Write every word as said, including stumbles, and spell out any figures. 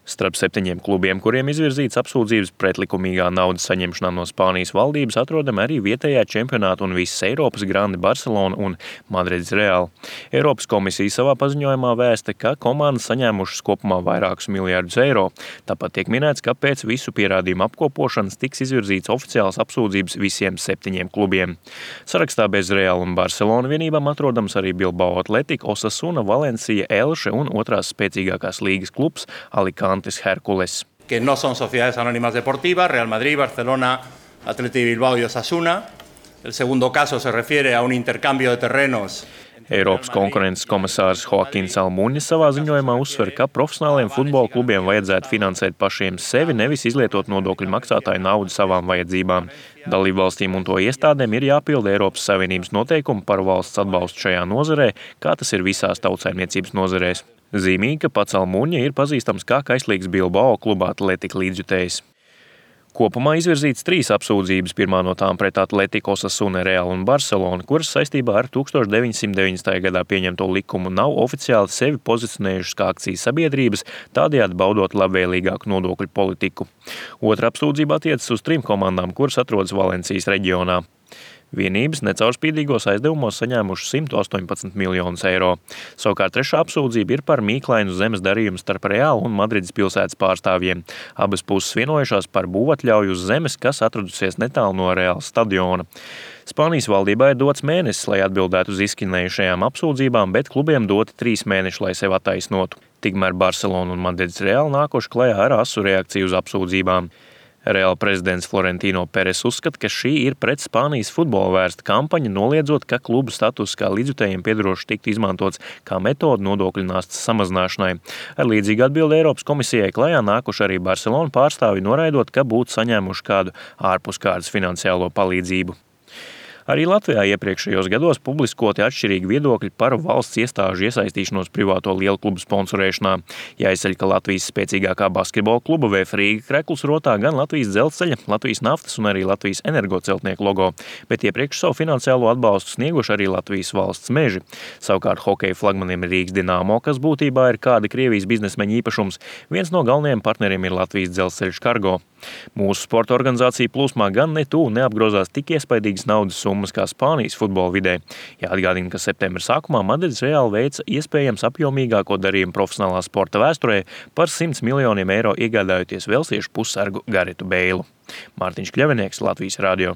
Starp septiņiem klubiem, kuriem izvirzīts apsūdzības pretlikumīgā naudas saņemšanā no Spānijas valdības, atrodam arī vietējā čempionāta un visas Eiropas grandi Barcelona un Madrides Real. Eiropas komisija savā paziņojumā vēsta, ka komandas saņēmušas kopumā vairākus miljardus eiro. Tāpat tiek minēts, ka pēc visu pierādījumu apkopošanas tiks izvirzīts oficiāls apsūdzības visiem septiņiem klubiem. Sarakstā bez Real un Barcelona vienībām atrodams arī Bilbao Athletic, Osasuna, Valencia, Elche un otrās spēcīgākās līgas klubs Alicante. Hércules. Que no son sociedades anónimas deportivas, Real Madrid, Barcelona, Athletic Bilbao y Osasuna. El segundo caso se refiere a un intercambio de terrenos. Eiropas konkurences komisārs Joakins Almuņas savā ziņojumā uzsver, ka profesionāliem futbola klubiem vajadzētu finansēt pašiem sevi, nevis izlietot nodokļu maksātāju naudu savām vajadzībām. Dalībvalstīm un to iestādēm ir jāpilda Eiropas Savienības noteikumi par valsts atbalstu šajā nozarē, kā tas ir visās tautsaimniecības nozarēs. Zīmīgi, ka pats Almuņa ir pazīstams kā kaislīgs Bilbao kluba Atletico līdzjutējs. Kopumā izvirzīts trīs apsūdzības, pirmā no tām pret Atletico, Osasuna, Real un Barcelona, kuras saistībā ar tuksstoš deviņsimt deviņdesmitajā gadā pieņemto likumu nav oficiāli sevi pozicionējušas kā akcijas sabiedrības, tādējādi baudot labvēlīgāku nodokļu politiku. Otra apsūdzība attiecas uz trim komandām, kuras atrodas Valencijas reģionā. Vienības necaurspīdīgos aizdevumos saņēmuši simt astoņpadsmit miljonus eiro. Savukārt trešā apsūdzība ir par mīklainu zemes darījumu starp Real un Madrides pilsētas pārstāvjiem. Abas puses vienojušās par būvatļauju uz zemes, kas atradusies netālu no Real stadiona. Spānijas valdībā ir dots mēnesis, lai atbildētu uz izskanējušajām apsūdzībām, bet klubiem doti trīs mēneši, lai sevi attaisnotu. Tikmēr Barcelona un Madrides Real nākuši klajā ar asu reakciju uz apsūdzībām. Real prezidents Florentino Peres uzskata, ka šī ir pret Spānijas futbola vērsta kampaņa, noliedzot, ka klubu status kā līdzjutējiem piedarošs tiktu izmantots kā metode nodokļu nastas samazināšanai. Ar līdzīgu atbildi Eiropas komisijai klajā nākuši arī Barcelona pārstāvi, noraidot, ka būtu saņēmuši kādu ārpuskārtas finansiālo palīdzību. Arī Latvijā iepriekšējos gados publiskoti atšķirīgi viedokļi par valsts iestāžu iesaistīšanos privāto lielu klubu sponsorēšanā. Jāizceļ, ka Latvijas spēcīgākā basketbola kluba V F Rīga krekls rotā gan Latvijas dzelzceļa, Latvijas naftas un arī Latvijas energoceltnieku logo, bet iepriekš savu finansiālo atbalstu snieguši arī Latvijas valsts meži. Savukārt hokeja flagmanim Rīgas Dinamo, kas būtībā ir kāda Krievijas biznesmeņa īpašums, viens no galvenajiem partneriem ir Latvijas dzelzceļš Cargo. Mūsu sporta organizācija plūsmā gan ne tuvu neapgrozās tik iespaidīgas naudas summas kā Spānijas futbola vidē. Jāatgādina, ka septembra sākumā Madrides Real veica iespējams apjomīgāko darījumu profesionālā sporta vēsturē par simts miljoniem eiro iegādājoties velsiešu pussargu Garetu Beilu. Mārtiņš Kļavinieks, Latvijas radio.